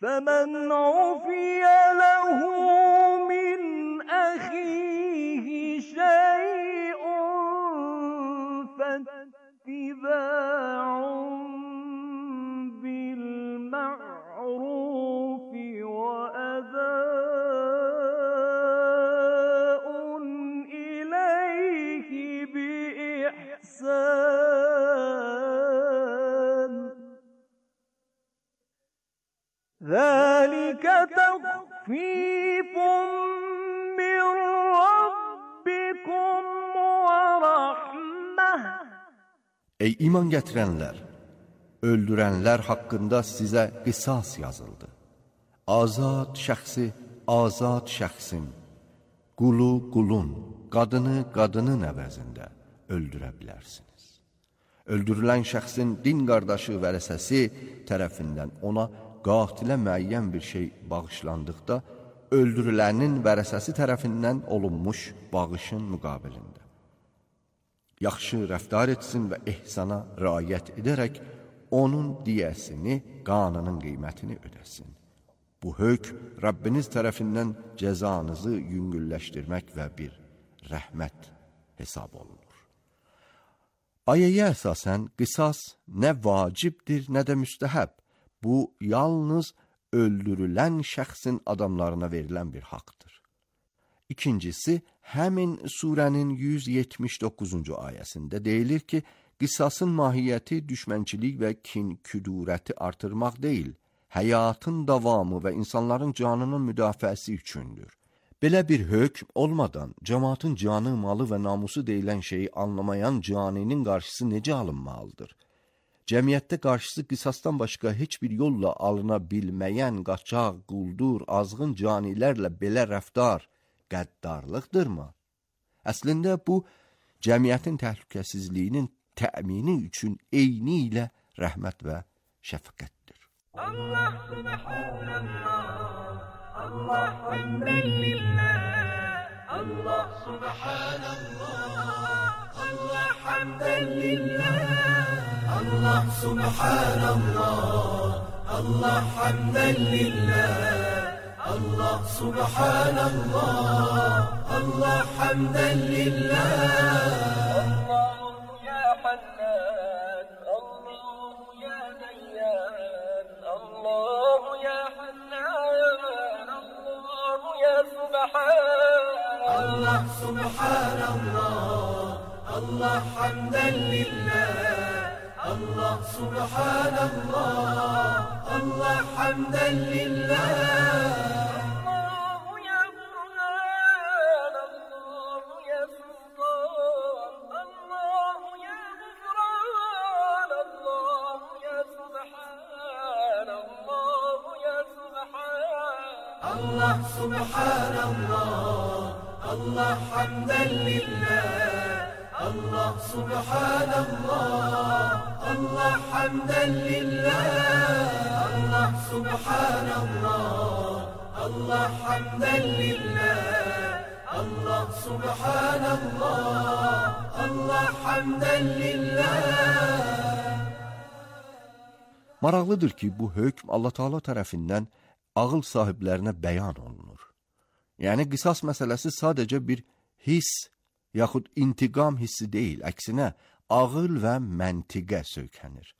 فَمَنْ عُفِيَ لَهُ مِنْ أَخِيهِ شَيْءٌ فَاتِّبَاعٌ بِالْمَعْرُوفِ وَأَدَاءٌ إِلَيْهِ بِإِحْسَانٍ ذَلِكَ تَخْفِيفٌ مِّن رَّبِّكُمْ وَرَحْمَةٌ. Ey iman gətirənlər! Öldürənlər haqqında sizə qisas yazıldı. Azad şəxsi azad şəxsin, qulu qulun, qadını qadının əvəzində öldürə bilərsiniz. Öldürülən şəxsin din qardaşı vərəsəsi tərəfindən ona qatilə müəyyən bir şey bağışlandıqda, öldürülənin vərəsəsi tərəfindən olunmuş bağışın müqabilində yaxşı rəftar etsin və ehsana riayət edərək onun diyəsini, qanının qiymətini ödəsin. Bu hökm Rəbbiniz tərəfindən cəzanızı yüngülləşdirmək və bir rəhmət hesab olunur. Ayəyə əsasən qisas nə vacibdir, nə də müstəhəb. Bu, yalnız öldürülən şəxsin adamlarına verilən bir haqdır. İkincisi, həmin surənin 179-cu ayəsində deyilir ki, qisasın mahiyyəti düşmənçilik və kin-küdurəti artırmaq deyil, həyatın davamı və insanların canının müdafiəsi üçündür. Belə bir hökm olmadan, cəmaatın canı, malı və namusu deyilən şeyi anlamayan caninin qarşısı necə alınmalıdır? Cəmiyyətdə qarşısı qisasdan başqa heç bir yolla alına bilməyən qaçaq, quldur, azğın canilərlə belə rəftar qəddarlıqdırmı? Əslində bu, cəmiyyətin təhlükəsizliyinin təmini üçün eyni ilə rəhmət və şəfqətdir. Allah subhanallah, Allah hamdən lillah, Allah subhanallah, Allah hamdən lillah, Allah subhanallah, Allah hamdən lillah, Allah subhanallah, Allah hamdən lillah. Allahu ya Hannan, Allahu ya Dayyan, Allahu ya Hannan, Allahu ya Subhan. Allah subhanallah, Allah hamdən lillah, Allah subhanallah, Allah hamdən lillah. Allah subhanallah, Allah hamdən lillah, Allah subhanallah, Allah hamdən lillah. Allah subhanallah, Allah hamdən lillah, Allah subhanallah, Allah hamdən lillah. Maraqlıdır ki, bu hökm Allah Teala tərəfindən ağıl sahiblərinə bəyan olunur. Yəni, qisas məsələsi sadəcə bir hiss, yaxud intiqam hissi deyil, əksinə ağıl və məntiqə söykənir.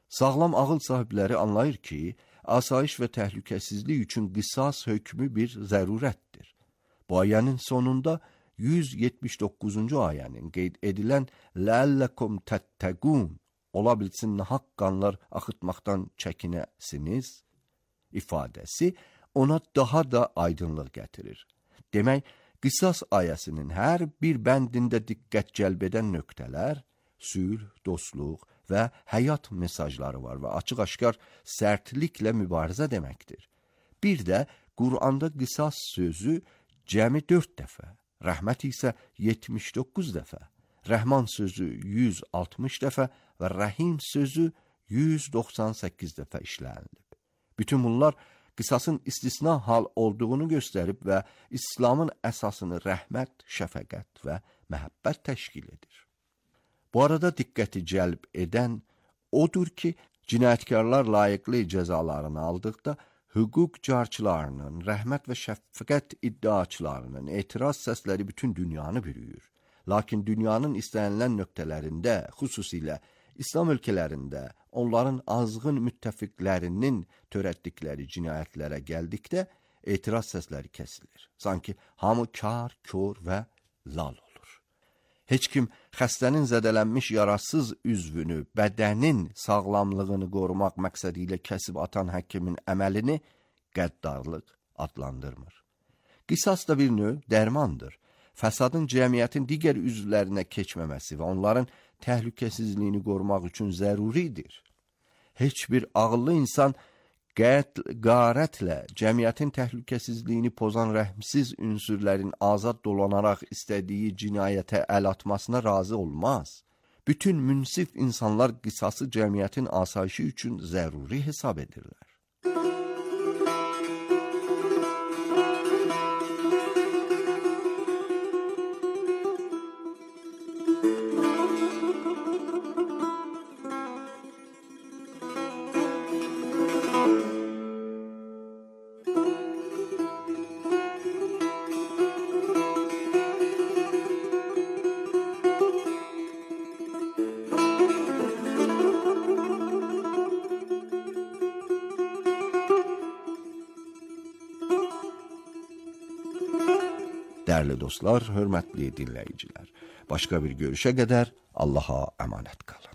Sağlam ağıl sahibləri anlayır ki, asayiş və təhlükəsizlik üçün qisas hökmü bir zərurətdir. Bu ayənin sonunda 179-cu ayənin qeyd edilən "Ləəlləkum təttəqun" ola bilsin nahaq qanlar axıtmaqdan çəkinəsiniz ifadəsi ona daha da aydınlıq gətirir. Demək, qisas ayəsinin hər bir bəndində diqqət cəlb edən nöqtələr, sülh, dostluq və həyat mesajları var və açıq-aşkar sərtliklə mübarizə deməkdir. Bir də Quranda qisas sözü cəmi 4 dəfə, rəhmət isə 79 dəfə, Rəhman sözü 160 dəfə və Rəhim sözü 198 dəfə işlənilib. Bütün bunlar qisasın istisna hal olduğunu göstərib və İslamın əsasını rəhmət, şəfəqət və məhəbbət təşkil edir. Bu arada diqqəti cəlb edən odur ki, cinayətkarlar layiqli cəzalarını aldıqda hüquq carçılarının, rəhmət və şəfqət iddiaçılarının etiraz səsləri bütün dünyanı bürüyür. Lakin dünyanın istənilən nöqtələrində, xüsusilə İslam ölkələrində, onların azğın müttəfiqlərinin törətdikləri cinayətlərə gəldikdə etiraz səsləri kəsilir. Sanki hamı kar, kör və lal olur. Heç kim xəstənin zədələnmiş yarasız üzvünü, bədənin sağlamlığını qorumaq məqsədi ilə kəsib atan həkimin əməlini qəddarlıq adlandırmır. Qisas da bir növ dərmandır. Fəsadın cəmiyyətin digər üzvlərinə keçməməsi və onların təhlükəsizliyini qorumaq üçün zəruridir. Heç bir ağıllı insan qarətlə cəmiyyətin təhlükəsizliyini pozan rəhmsiz ünsürlərin azad dolanaraq istədiyi cinayətə əl atmasına razı olmaz. Bütün münsif insanlar qisası cəmiyyətin asayişi üçün zəruri hesab edirlər. Dəyərli dostlar, hörmətli dinləyicilər, başqa bir görüşə qədər Allaha əmanət qalın.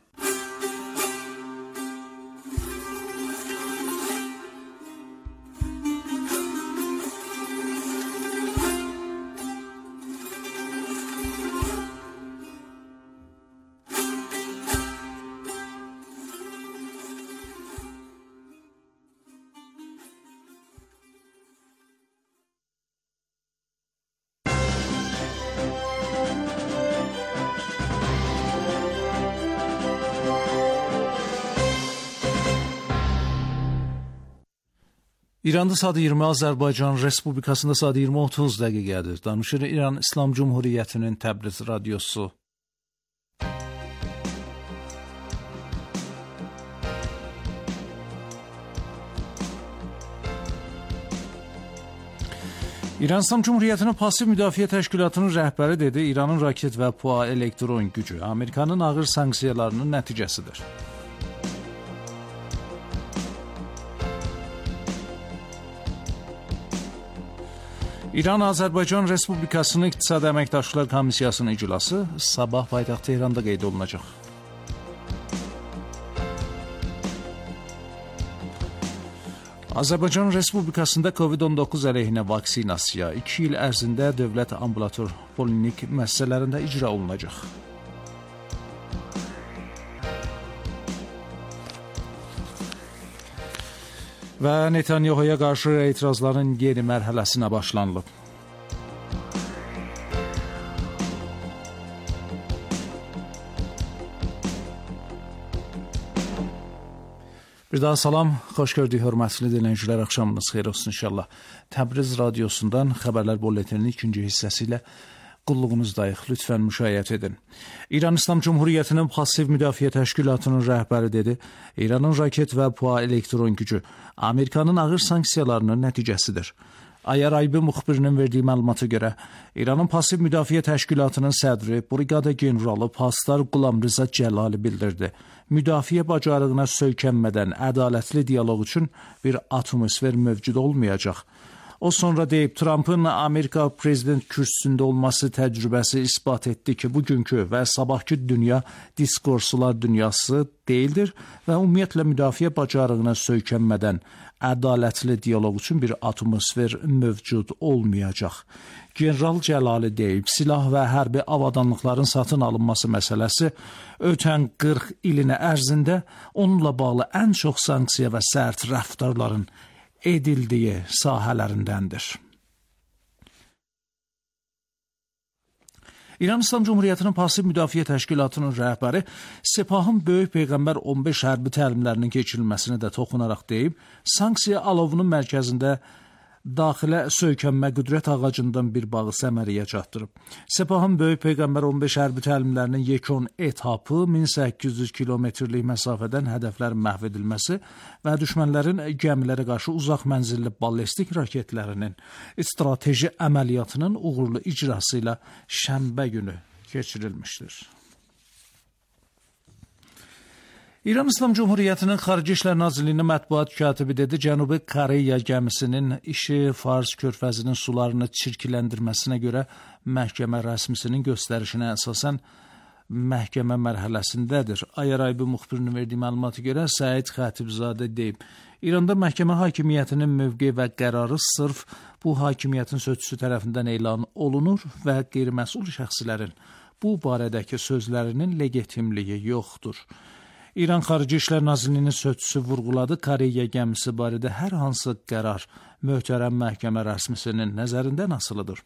İranda saat 20, Azərbaycan Respublikasında saat 20:30 dəqiqədir. Danışır İran İslam Cumhuriyyətinin Təbriz radiosu. İran İslam Cumhuriyyətinin Pasiv Müdafiə Təşkilatının rəhbəri dedi, İranın raket və PUA elektron gücü Amerikanın ağır sanksiyalarının nəticəsidir. İran-Azərbaycan Respublikasının İqtisad Əməkdaşlıqlar Komissiyasının iclası sabah paytaxt Tehranda qeyd olunacaq. Azərbaycan Respublikasında COVID-19 əleyhinə vaksinasiya 2 il ərzində dövlət ambulator polinik müəssisələrində icra olunacaq. Və Netanyahuya qarşı etirazların yeni mərhələsinə başlanılıb. Bir daha salam, xoş gördük hörmətli dinləyicilər, axşamınız xeyir olsun inşallah. Təbriz radiosundan xəbərlər bulletininin ikinci hissəsi ilə qulluğunuzdayıq. Lütfən müşayiət edin. İran İslam Cumhuriyyətinin Pasiv Müdafiə Təşkilatının rəhbəri dedi, İranın raket və PUA elektron gücü Amerikanın ağır sanksiyalarının nəticəsidir. Ayar Aybi müxbirinin verdiyi məlumata görə, İranın Pasiv Müdafiə Təşkilatının sədri, Briqada generalı Pastar Qulam Rıza Cəlali bildirdi. Müdafiə bacarığına söykənmədən ədalətli dialoq üçün bir atmosfer mövcud olmayacaq. O sonra deyib, Trumpın Amerika prezident kürsüsündə olması təcrübəsi isbat etdi ki, bugünkü və sabahki dünya diskursular dünyası deyildir və ümumiyyətlə müdafiə bacarığına söykənmədən ədalətli dialoq üçün bir atmosfer mövcud olmayacaq. General Cəlali deyib, silah və hərbi avadanlıqların satın alınması məsələsi ötən 40 ilin ərzində onunla bağlı ən çox sanksiya və sərt rəftarların edildiyi sahələrindəndir. İran İslam Cumhuriyyətinin Pasiv Müdafiə Təşkilatının rəhbəri Sepahın Böyük Peyğəmbər 15 hərbi təlimlərinin keçirilməsini də toxunaraq deyib, sanksiya alovunun mərkəzində daxilə söykənmə qüdrət ağacından bir bağı səmərəyə çatdırıb. Sepahın Böyük Peyğəmbər 15 hərbi təlimlərinin yekun etapı 1800 kilometrlik məsafədən hədəflərin məhv edilməsi və düşmənlərin gəmilərə qarşı uzaq mənzilli ballistik raketlərinin strateji əməliyyatının uğurlu icrası ilə şənbə günü keçirilmişdir. İran İslam Cumhuriyyətinin Xarici İşlər Nazirliyinin mətbuat katibi dedi, Cənubi Koreya gəmisinin işi Fars körfəzinin sularını çirkləndirməsinə görə məhkəmə rəsmisinin göstərişinə əsasən məhkəmə mərhələsindədir. Ayaraybi müxbirinin verdiyi məlumata görə Səid Xətibzadə deyib, İranda məhkəmə hakimiyyətinin mövqe və qərarı sırf bu hakimiyyətin sözçüsü tərəfindən elan olunur və qeyri-məsul şəxslərin bu barədəki sözlərinin legitimliyi yoxdur. İran Xarici İşlər Nazirliyinin sözçüsü vurğuladı, Koreya gəmisi barədə hər hansı qərar möhtərəm məhkəmə rəsmisinin nəzərindən asılıdır.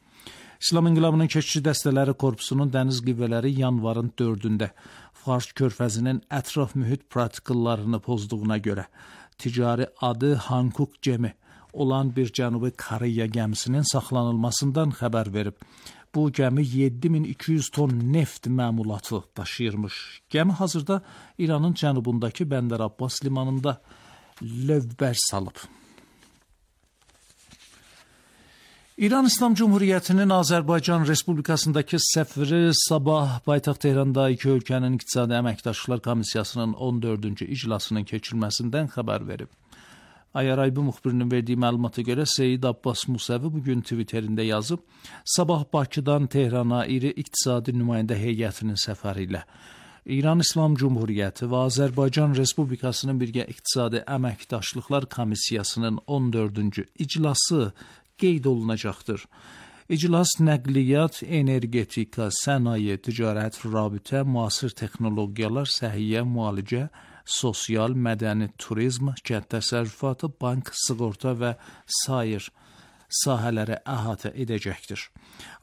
İslam İnqilabının Keşikçi Dəstələri Korpusunun dəniz qüvvələri yanvarın 4-də Fars körfəzinin ətraf mühit protokollarını pozduğuna görə ticari adı Hankuk gemi olan bir Cənubi Koreya gəmisinin saxlanılmasından xəbər verib. Bu gəmi 7200 ton neft məmulatı daşıyırmış. Gəmi hazırda İranın cənubundakı Bəndər Abbas limanında lövbər salıb. İran İslam Cumhuriyyətinin Azərbaycan Respublikasındakı səfiri sabah paytaxt Tehranda iki ölkənin İqtisadi Əməkdaşlıqlar Komissiyasının 14-cü iclasının keçirilməsindən xəbər verib. Ayaraybi müxbirinin verdiyi məlumata görə Seyid Abbas Musəvi bugün Twitterində yazıb, sabah Bakıdan Tehrana iri iqtisadi nümayəndə heyətinin səfəri ilə İran İslam Cumhuriyyəti və Azərbaycan Respublikasının birgə İqtisadi Əməkdaşlıqlar Komissiyasının 14-cü iclası qeyd olunacaqdır. İclas nəqliyyat, energetika, sənaye, ticarət, rabitə, müasir texnologiyalar, səhiyyə, müalicə, sosial, mədəni, turizm, kənd təsərrüfatı, bank, sığorta və sair sahələri əhatə edəcəkdir.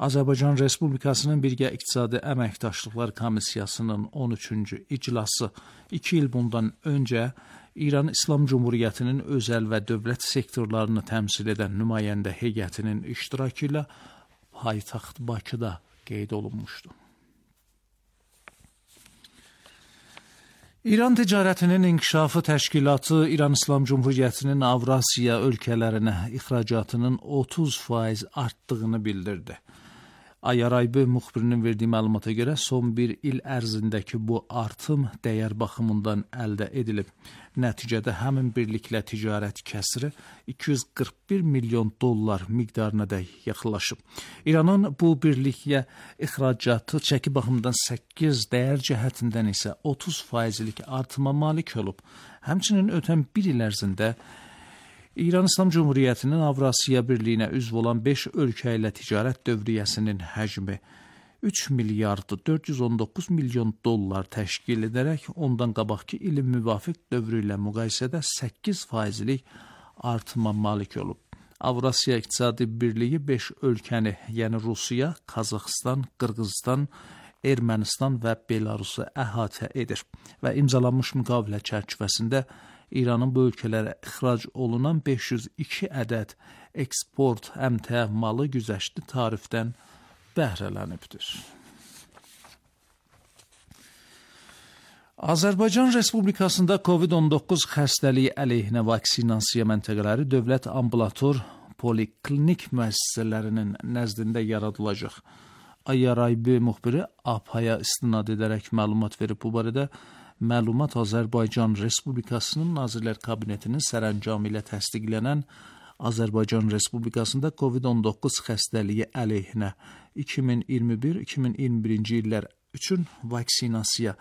Azərbaycan Respublikasının birgə İqtisadi Əməkdaşlıqlar Komissiyasının 13-cü iclası 2 il bundan öncə İran İslam Cumhuriyyətinin özəl və dövlət sektorlarını təmsil edən nümayəndə heyətinin iştirakı ilə paytaxt Bakıda qeyd olunmuşdu. İran Ticarətinin İnkişafı Təşkilatı İran İslam Cumhuriyyətinin Avrasiya ölkələrinə ixracatının 30% artdığını bildirdi. Ayaraybi müxbirinin verdiyi məlumata görə son bir il ərzindəki bu artım dəyər baxımından əldə edilib. Nəticədə həmin birliklə ticarət kəsiri 241 milyon dollar miqdarına da yaxınlaşıb. İranın bu birliklə ixracatı çəki baxımından 8, dəyər cəhətindən isə 30%lik artıma malik olub. Həmçinin ötən bir il ərzində İran İslam Cumhuriyyətinin Avrasiya Birliyinə üzv olan 5 ölkə ilə ticarət dövriyyəsinin həcmi 3 milyard 419 milyon dollar təşkil edərək ondan qabaqki ilin müvafiq dövrü ilə müqayisədə 8%lik artıma malik olub. Avrasiya İqtisadi Birliyi 5 ölkəni, yəni Rusiya, Qazaxıstan, Qırğızistan, Ermənistan və Belarusu əhatə edir və imzalanmış müqavilə çərçivəsində İranın bu ölkələrə ixrac olunan 502 ədəd eksport əmtəə malı güzəştli tarifdən bəhrələnibdir. Azərbaycan Respublikasında COVID-19 xəstəliyi əleyhinə vaksinasiya məntəqələri dövlət ambulator poliklinik müəssisələrinin nəzdində yaradılacaq. Ayaraybi müxbiri APA-ya istinad edərək məlumat verib. Bu barədə məlumat Azərbaycan Respublikasının Nazirlər Kabinetinin sərəncamı ilə təsdiqlənən Azərbaycan Respublikasında COVID-19 xəstəliyi əleyhinə 2021-2021-ci illər üçün vaksinasiya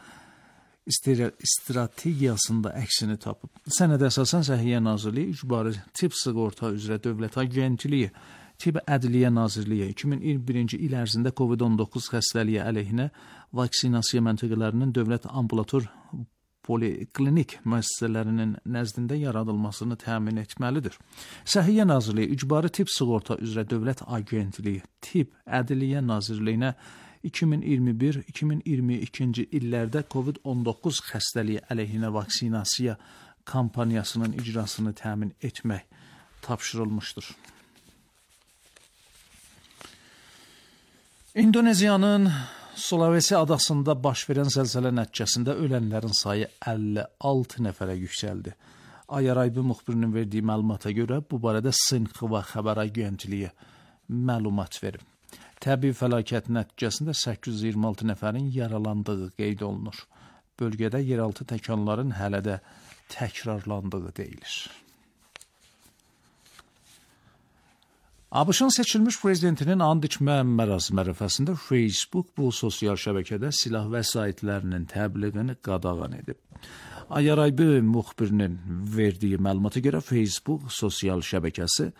strategiyasında əksini tapıb. Sənədə əsasən Səhiyyə Nazirliyi, İcbari Tibb Sığorta üzrə Dövlət Agentliyi, Tibb Ədliyyə Nazirliyi 2021-ci il ərzində COVID-19 xəstəliyi əleyhinə vaksinasiya məntəqələrinin dövlət ambulator poliklinik müəssisələrinin nəzdində yaradılmasını təmin etməlidir. Səhiyyə Nazirliyi, İcbari Tibb Sığorta üzrə Dövlət Agentliyi, Tibb Ədliyyə Nazirliyinə 2021-2022-ci illərdə COVID-19 xəstəliyi əleyhinə vaksinasiya kampaniyasının icrasını təmin etmək tapşırılmışdır. İndoneziyanın Sulawesi adasında baş verən zəlzələ nəticəsində ölənlərin sayı 56 nəfərə yüksəldi. Ayaraybi müxbirinin verdiyi məlumata görə bu barədə Sinxva xəbər agentliyi məlumat verib. Təbii fəlakət nəticəsində 826 nəfərin yaralandığı qeyd olunur. Bölgədə yeraltı təkanların hələ də təkrarlandığı deyilir. ABŞ-ın seçilmiş prezidentinin and içmə mərasimi ərəfəsində Facebook bu sosial şəbəkədə silah vəsaitlərinin təbliğini qadağan edib. Ayaraybi müxbirinin verdiyi məlumata görə Facebook sosial şəbəkəsi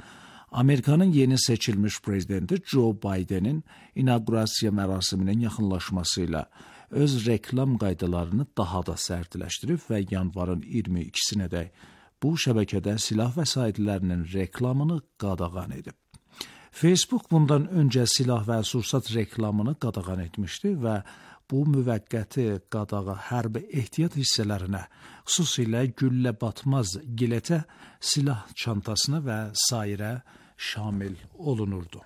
Amerikanın yeni seçilmiş prezidenti Joe Bidenin inaugurasiya mərasiminin yaxınlaşması ilə öz reklam qaydalarını daha da sərtləşdirib və yanvarın 22-sinədək bu şəbəkədə silah vəsaitlərinin reklamını qadağan edib. Facebook bundan öncə silah və sursat reklamını qadağan etmişdi və bu müvəqqəti qadağa hərbi ehtiyat hissələrinə, xüsusilə güllə batmaz giletə, silah çantasına və sairə şamil olunurdu.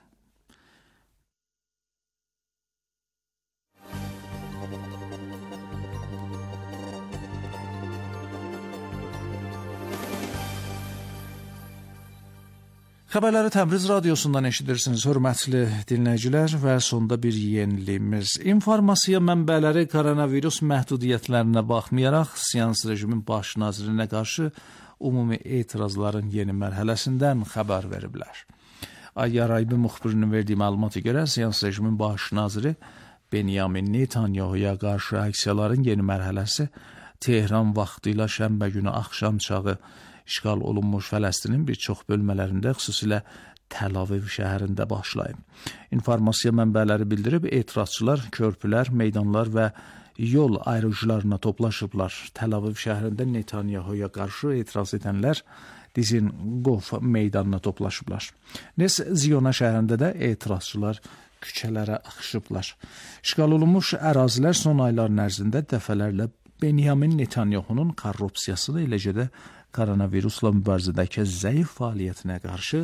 Xəbərləri Təbriz radiosundan eşidirsiniz, hörmətli dinləyicilər, və sonda bir yeniliyimiz. İnformasiya mənbələri koronavirus məhdudiyyətlərinə baxmayaraq, seans rejimin baş nazirinə qarşı ümumi etirazların yeni mərhələsindən xəbər veriblər. Ayaraybi müxbirinin verdiyi məlumata görə, seans rejimin baş naziri Benyamin Netanyahu'ya qarşı aksiyaların yeni mərhələsi Tehran vaxtı ilə şənbə günü axşam çağı işğal olunmuş Fələstinin bir çox bölmələrində, xüsusilə Təl Aviv şəhərində başlayıb. İnformasiya mənbələri bildirib, etirazçılar körpülər, meydanlar və yol ayrıcılarına toplaşıblar. Təl Aviv şəhərində Netanyahu'ya qarşı etiraz edənlər Dizengoff meydanına toplaşıblar. Nes Ziyona şəhərində də etirazçılar küçələrə axışıblar. İşğal olunmuş ərazilər son ayların ərzində dəfələrlə Benyamin Netanyahu'nun korrupsiyasını, eləcə də koronavirusla mübarizədəki zəif fəaliyyətinə qarşı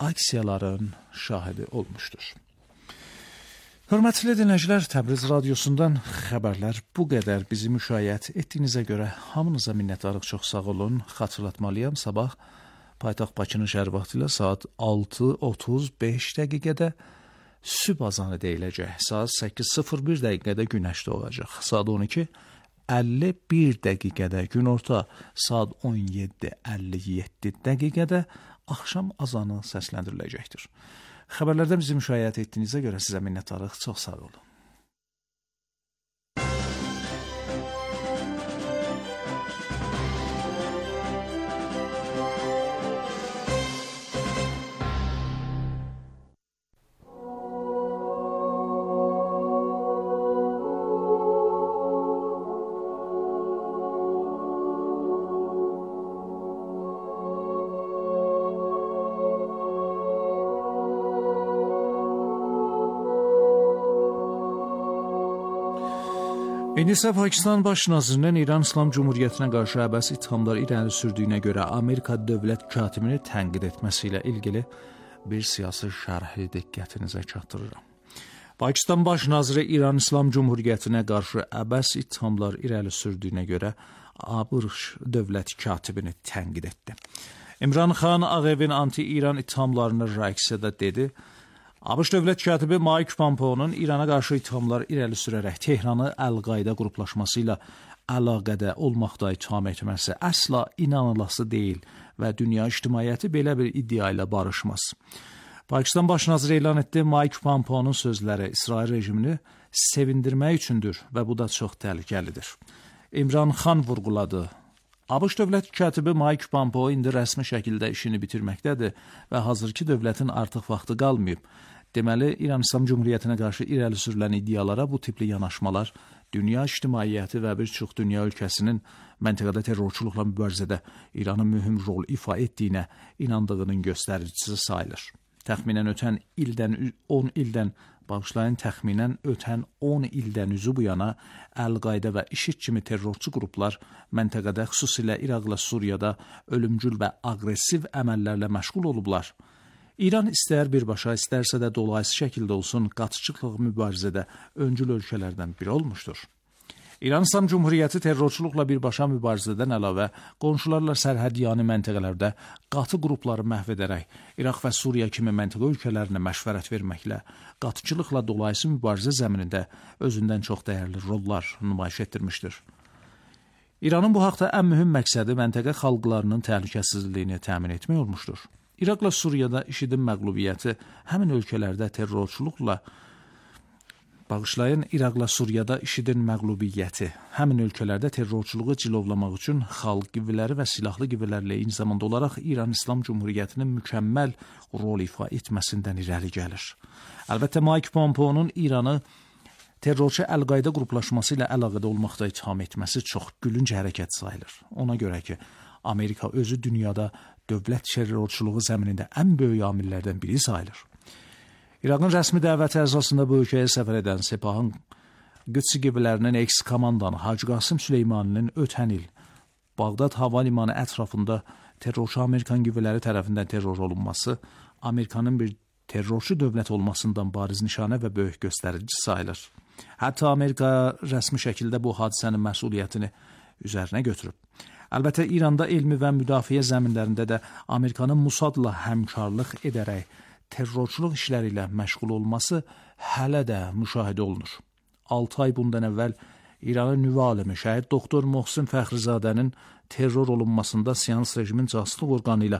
aksiyaların şahidi olmuşdur. Hörmətli dinləyicilər, Təbriz radiosundan xəbərlər bu qədər. Bizi müşayiət etdiyinizə görə hamınıza minnətdarıq, çox sağ olun. Xatırlatmalıyam, sabah paytaxt Bakının şəhər vaxtı ilə saat 6:35 dəqiqədə sübh azanı deyiləcək. Saat 8:01 dəqiqədə günəş doğacaq. Saat 12:51 dəqiqədə günorta, saat 17:57 dəqiqədə axşam azanı səsləndiriləcəkdir. Xəbərlərdə bizi müşayiət etdiyinizə görə sizə minnətdarıq, çox sağ olun. İndi isə Pakistan baş nazirinin İran İslam Cumhuriyyətinə qarşı əbəs ithamlar irəli sürdüyünə görə Amerika dövlət katibini tənqid etməsi ilə ilgili bir siyasi şərhi diqqətinizə çatdırıram. Pakistan baş naziri İran İslam Cumhuriyyətinə qarşı əbəs ithamlar irəli sürdüyünə görə ABŞ dövlət katibini tənqid etdi. İmran Xan Ağ Evin anti-İran ithamlarını rəqsədə dedi. ABŞ dövlət katibi Mike Pompeo'nun İrana qarşı ithamlar irəli sürərək Tehranı Əl-Qayda qruplaşması ilə əlaqədə olmaqda itham etməsi əsla inanılası deyil və dünya ictimaiyyəti belə bir iddia ilə barışmaz. Pakistan baş naziri elan etdi, Mike Pompeo'nun sözləri İsrail rejimini sevindirmək üçündür və bu da çox təhlükəlidir. İmran Xan vurğuladı. ABŞ dövlət katibi Mike Pompeo indi rəsmi şəkildə işini bitirməkdədir və hazırki dövlətin artıq vaxtı qalmayıb. Deməli, İran İslam Cumhuriyyətinə qarşı irəli sürülən iddialara bu tipli yanaşmalar dünya ictimaiyyəti və bir çox dünya ölkəsinin məntəqədə terrorçuluqla mübarizədə İranın mühüm rol ifa etdiyinə inandığının göstəricisi sayılır. Təxminən ötən 10 ildən üzü bu yana Əl-Qayda və IŞİD kimi terrorçu qruplar məntəqədə, xüsusilə İraqla Suriyada ölümcül və aqressiv əməllərlə məşğul olublar. İran istər birbaşa, istərsə də dolayısız şəkildə olsun, qaçıcılıq mübarizədə öncül ölkələrdən biri olmuşdur. İran İslam Cumhuriyyəti terrorçuluqla birbaşa mübarizədən əlavə qonşularla sərhədyanı məntəqələrdə qatı qrupları məhv edərək İraq və Suriya kimi məntəqə ölkələrinə məşvərət verməklə qatıcılıqla dolayısız mübarizə zəminində özündən çox dəyərli rollar nümayiş etdirmişdir. İranın bu haqda ən mühüm məqsədi məntəqə xalqlarının təhlükəsizliyini təmin etmək olmuşdur. İraqla Suriyada IŞİD-in məğlubiyyəti həmin ölkələrdə terrorçuluqla İraqla Suriyada IŞİD-in məğlubiyyəti həmin ölkələrdə terrorçuluğu cilovlamaq üçün xalq qüvvələri və silahlı qüvvələrlə eyni zamanda olaraq İran İslam Cumhuriyyətinin mükəmməl rol ifa etməsindən irəli gəlir. Əlbəttə, Mike Pompeo'nun İranı terrorçu Əl-Qayda qruplaşması ilə əlaqədə olmaqda itham etməsi çox gülünc hərəkət sayılır. Ona görə ki, Amerika özü dünyada dövlət terrorçuluğu zəminində ən böyük amillərdən biri sayılır. İraqın rəsmi dəvəti əsasında bu ölkəyə səfər edən Sepahın Qüdsi qüvvələrinin eks-komandanı Hacı Qasım Süleymaninin ötən il Bağdad hava limanı ətrafında terrorçu Amerikan qüvvələri tərəfindən terror olunması Amerikanın bir terrorçu dövlət olmasından bariz nişanə və böyük göstərici sayılır. Hətta Amerika rəsmi şəkildə bu hadisənin məsuliyyətini üzərinə götürüb. Əlbəttə, İranda elmi və müdafiə zəminlərində də Amerikanın Mussadla həmkarlıq edərək terrorçuluq işləri ilə məşğul olması hələ də müşahidə olunur. 6 ay bundan əvvəl İranın nüvə alimi şəhid doktor Mohsin Fəxrizadənin terror olunmasında Siyans rejimin casuslıq orqanı ilə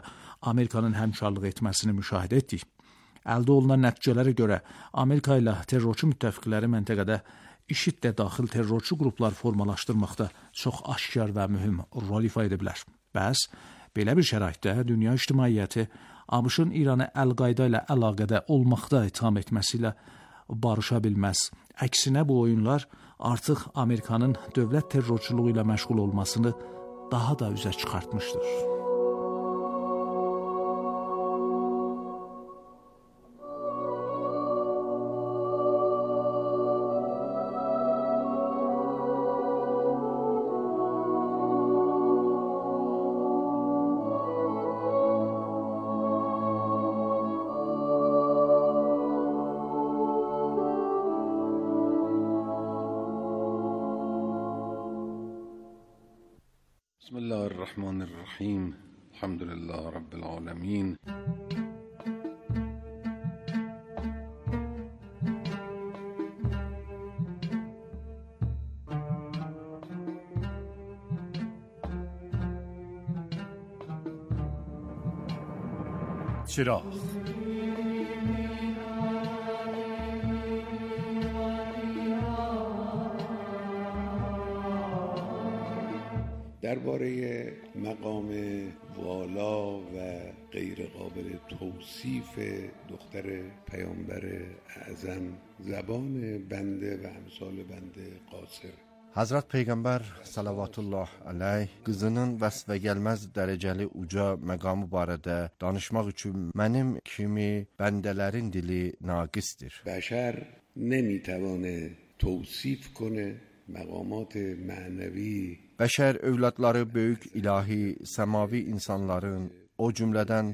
Amerikanın həmkarlıq etməsini müşahidə etdik. Əldə olunan nəticələrə görə Amerika ilə terrorçu müttəfiqləri məntəqədə IŞİD-də daxil terrorçu qruplar formalaşdırmaqda çox aşkar və mühüm rol ifa edə bilər. Bəs belə bir şəraitdə dünya ictimaiyyəti ABŞ-ın İranı Əl-Qayda ilə əlaqədə olmaqda itham etməsi ilə barışa bilməz. Əksinə bu oyunlar artıq Amerikanın dövlət terrorçuluğu ilə məşğul olmasını daha da üzə çıxartmışdır. بسم الله الرحمن الرحیم الحمد لله رب العالمین چراغ درباره مقام والا و غیر قابل توصیف دختر پیامبر اعظم زبان بنده و امثال بنده قاصر. Hazrat Peyğəmbər salavatullah aleyh qızının vəsfə gəlməz dərəcəli uca məqamı barədə danışmaq üçün mənim kimi bəndələrin dili naqisdir. بشر نمیتوانه توصیف کنه مقامات معنوی Bəşər övladları böyük ilahi, səmavi insanların, o cümlədən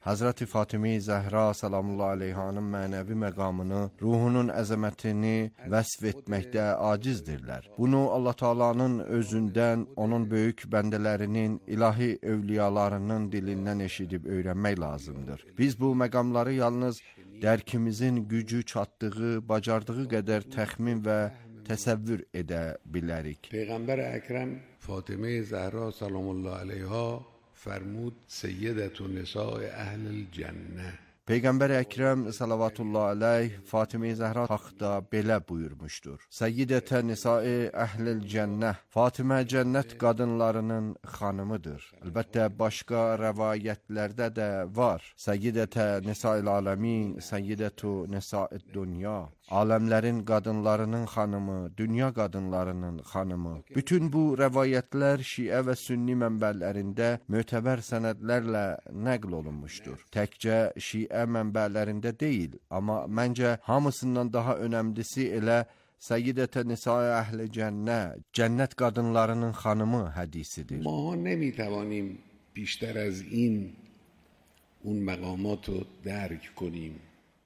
Hazreti Fatimi Zəhra salamullah aleyhanın mənəvi məqamını, ruhunun əzəmətini vəsf etməkdə acizdirlər. Bunu Allah Taala'nın özündən, onun böyük bəndələrinin, ilahi övliyalarının dilindən eşidib öyrənmək lazımdır. Biz bu məqamları yalnız dərkimizin gücü çatdığı, bacardığı qədər təxmin və təsəvvür edə bilərik. پیغمبر اکرم فاطمه زهرا سلام الله علیها فرمود سیدت نساء اهل الجنه. Peyğəmbər Əkrəm salavatullah aleyh Fatime Zəhra haqqda belə buyurmuşdur. Səyyidətə nisa'i əhlil cənnəh, Fatimə cənnət qadınlarının xanımıdır. Əlbəttə başqa rəvayətlərdə də var. Səyyidətə nisa'il aləmin, səyyidətu nisa'id dünya. Aləmlərin qadınlarının xanımı, dünya qadınlarının xanımı. Bütün bu rəvayətlər Şiə və Sünni mənbələrində mötəbər sənədlərlə nəql olunmuşdur. Təkcə Şiə mənbələrində deyil, amma məncə hamısından daha önəmlisi elə Səyyidətə Nisa'i Əhl-i Cənnə, cənnət qadınlarının xanımı hədisidir. ما نمیتوانیم بیشتر از این اون مقامات رو درک کنیم.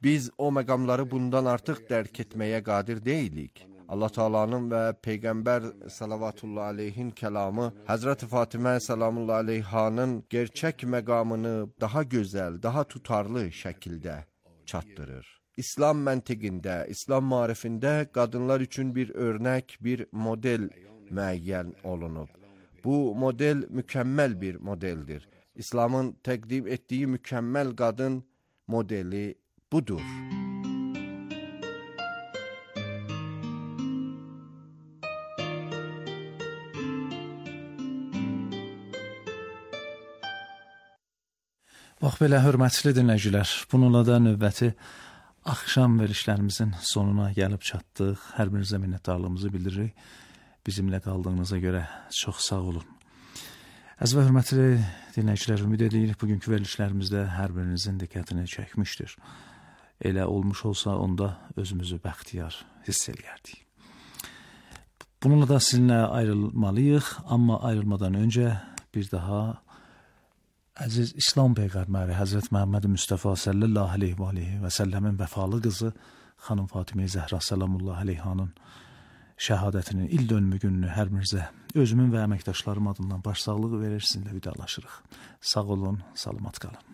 Biz o məqamları bundan artıq dərk etməyə qadir deyilik. Allah Taala'nın və Peyğəmbər sallallahu aleyhin kəlamı Həzrət Fatimə sallallahu aleyhanın gerçək məqamını daha gözəl, daha tutarlı şəkildə çatdırır. İslam məntiqində, İslam maarifində qadınlar üçün bir örnək, bir model müəyyən olunub. Bu model mükəmməl bir modeldir. İslamın təqdim etdiyi mükəmməl qadın modeli budur. Bax belə, hörmətli dinləyicilər, bununla da növbəti axşam verilişlərimizin sonuna gəlib çatdıq. Hər birinizə minnətdarlığımızı bildiririk. Bizimlə qaldığınıza görə çox sağ olun. Əziz və hörmətli dinləyicilər, ümid edirik bugünkü verilişlərimizdə hər birinizin diqqətini çəkmişdir. Elə olmuş olsa onda özümüzü bəxtiyar hiss eləyərdik. Bununla da sizinlə ayrılmalıyıq, amma ayrılmadan öncə bir daha əziz İslam Peyğəmbəri Həzrət Məhəmməd Mustafa sallallahu aleyhi və səlləmin vəfalı qızı xanım Fatimə Zəhra sallallahu aleyhanın şəhadətinin il dönümü gününü hər birinizə özümün və əməkdaşlarım adından başsağlığı verir, sizinlə vidalaşırıq. Sağ olun, salamat qalın.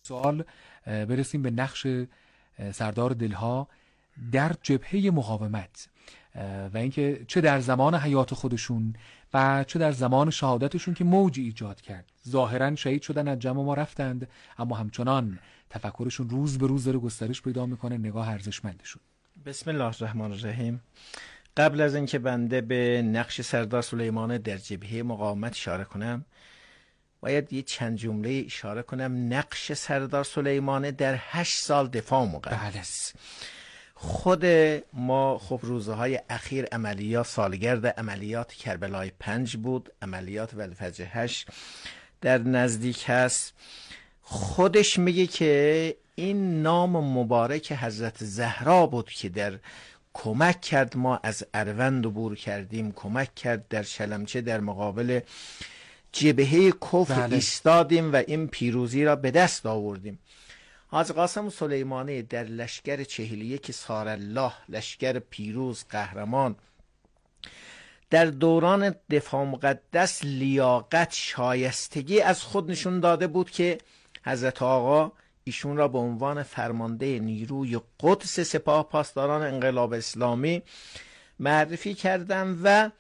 سوال برسیم به نقش سردار دلها در جبهه مقاومت و اینکه چه در زمان حیات خودشون و چه در زمان شهادتشون که موجی ایجاد کرد. ظاهرا شهید شدن، از جمع ما رفتند، اما همچنان تفکرشون روز به روز داره گسترش پیدا میکنه. نگاه ارزشمندشون. بسم الله الرحمن الرحیم. قبل از اینکه بنده به نقش سردار سلیمانی در جبهه مقاومت اشاره کنم، باید یه چند جمله اشاره کنم. نقش سردار سلیمانی در 8 سال دفاع مقدس. خود ما خب روزهای اخیر عملیات، سالگرد عملیات کربلای 5 بود، عملیات ولفجر 8 در نزدیک هست. خودش میگه که این نام مبارک حضرت زهرا بود که در کمک کرد ما از اروند عبور کردیم، کمک کرد در شلمچه در مقابل جبهه کفر ایستادیم و این پیروزی را به دست آوردیم. حاج قاسم سلیمانی در لشکر 41 سارالله، لشکر پیروز قهرمان، در دوران دفاع مقدس لیاقت، شایستگی از خود نشون داده بود که حضرت آقا ایشون را به عنوان فرمانده نیروی قدس سپاه پاسداران انقلاب اسلامی معرفی کردن و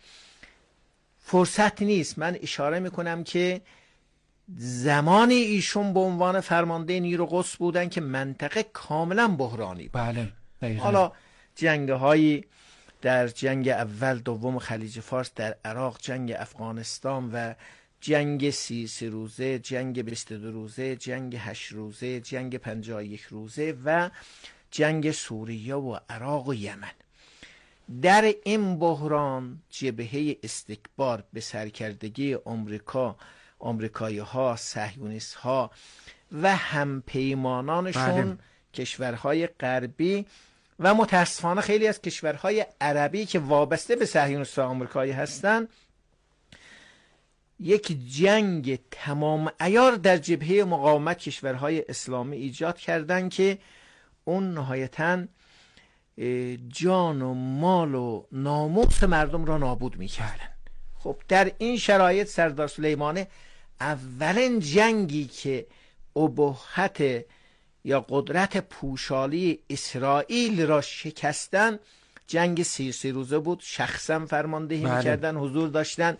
فرصت نیست. من اشاره میکنم که زمانی ایشون به عنوان فرمانده نیرو قدس بودن که منطقه کاملا بحرانی بود. بله. حالا جنگ‌هایی در جنگ اول دوم خلیج فارس در عراق، جنگ افغانستان و جنگ 33 روزه، جنگ 22 روزه، جنگ 8 روزه، جنگ 51 روزه و جنگ سوریه و عراق و یمن. در این بحران جبهه استکبار به سرکردگی آمریکایی ها، صهیونیست ها و همپیمانانشون کشورهای غربی و متاسفانه خیلی از کشورهای عربی که وابسته به صهیونیست آمریکایی هستند، یک جنگ تمام عیار در جبهه مقاومت کشورهای اسلامی ایجاد کردند که اون نهایتاً جان و مال و ناموس مردم را نابود می‌کردند. خب در این شرایط سردار سلیمانه اولین جنگی که ابهت یا قدرت پوشالی اسرائیل را شکستن جنگ 33 روزه بود. شخصا فرماندهی میکردن، حضور داشتن.